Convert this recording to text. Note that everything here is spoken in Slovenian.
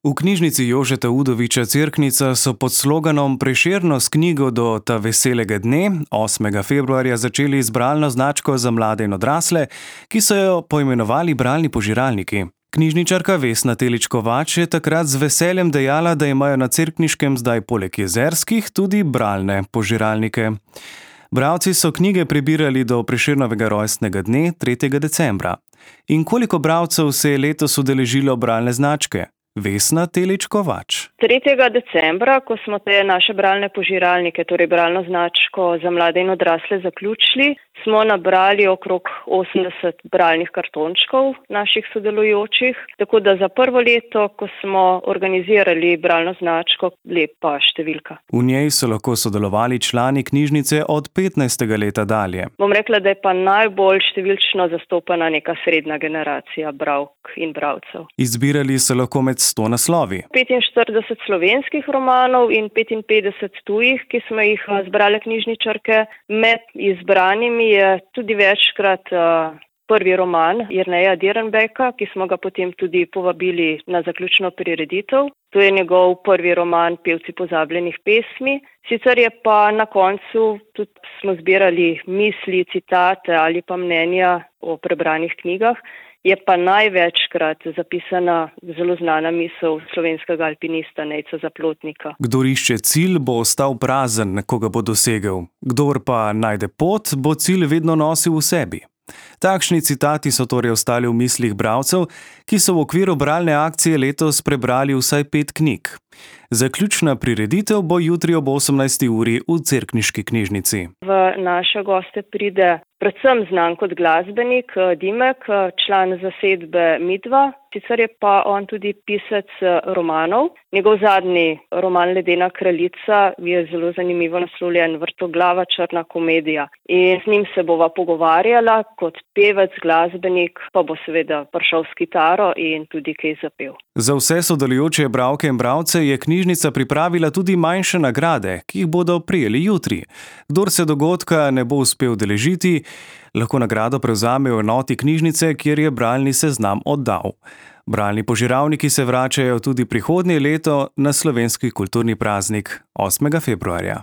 V knjižnici Jožeta Udoviča Cerknica so pod sloganom Prešerno s knjigo do ta veselega dne 8. februarja začeli z bralno značko za mlade in odrasle, ki so jo poimenovali bralni požiralniki. Knjižničarka Vesna Telič-Kovač je takrat z veseljem dejala, da imajo na Cerkniškem zdaj poleg jezerskih tudi bralne požiralnike. Bralci so knjige prebirali do Prešernovega rojstnega dne 3. decembra. In koliko bralcev se je letos udeležilo bralne značke? Vesna Telič-Kovač. 3. decembra, ko smo te naše bralne požiralnike, torej bralno značko za mlade in odrasle zaključili, smo nabrali okrog 80 bralnih kartončkov naših sodelujočih, tako da za prvo leto, ko smo organizirali bralno značko, lepa številka. V njej so lahko sodelovali člani knjižnice od 15. leta dalje. Bom rekla, da je pa najbolj številčno zastopana neka srednja generacija bralk in bralcev. Izbirali so lahko med 100 naslovi. 45 slovenskih romanov in 55 tujih, ki smo jih zbrale knjižničarke. Med izbranimi je tudi večkrat prvi roman Jerneja Dirnbecka, ki smo ga potem tudi povabili na zaključno prireditev. To je njegov prvi roman Pevci pozabljenih pesmi. Sicer je pa na koncu tudi smo zbirali misli, citate ali pa mnenja o prebranih knjigah. Je pa največkrat zapisana zelo znana misel slovenskega alpinista Nejca Zaplotnika. Kdor išče cilj, bo ostal prazen, ko ga bo dosegel. Kdor pa najde pot, bo cilj vedno nosil v sebi. Takšni citati so torej ostali v mislih bralcev, ki so v okviru bralne akcije letos prebrali vsaj 5 knjig. Zaključna prireditev bo jutri ob 18. uri v Cerkniški knjižnici. V naše goste pride predvsem znan kot glasbenik Dimek, član zasedbe Midva, sicer je pa on tudi pisec romanov. Njegov zadnji roman Ledena kraljica je zelo zanimivo naslovljen Vrtoglava črna komedija. In z njim se bova pogovarjala, kot pevec, glasbenik, pa bo seveda prišel s kitaro in tudi kaj zapel. Za vse sodelujoče bralke in bralce je knjižnica pripravila tudi manjše nagrade, ki jih bodo prejeli jutri. Kdor se dogodka ne bo uspel udeležiti, lahko nagrado prevzame v enoti knjižnice, kjer je bralni seznam oddal. Bralni požiralniki se vračajo tudi prihodnje leto na slovenski kulturni praznik 8. februarja.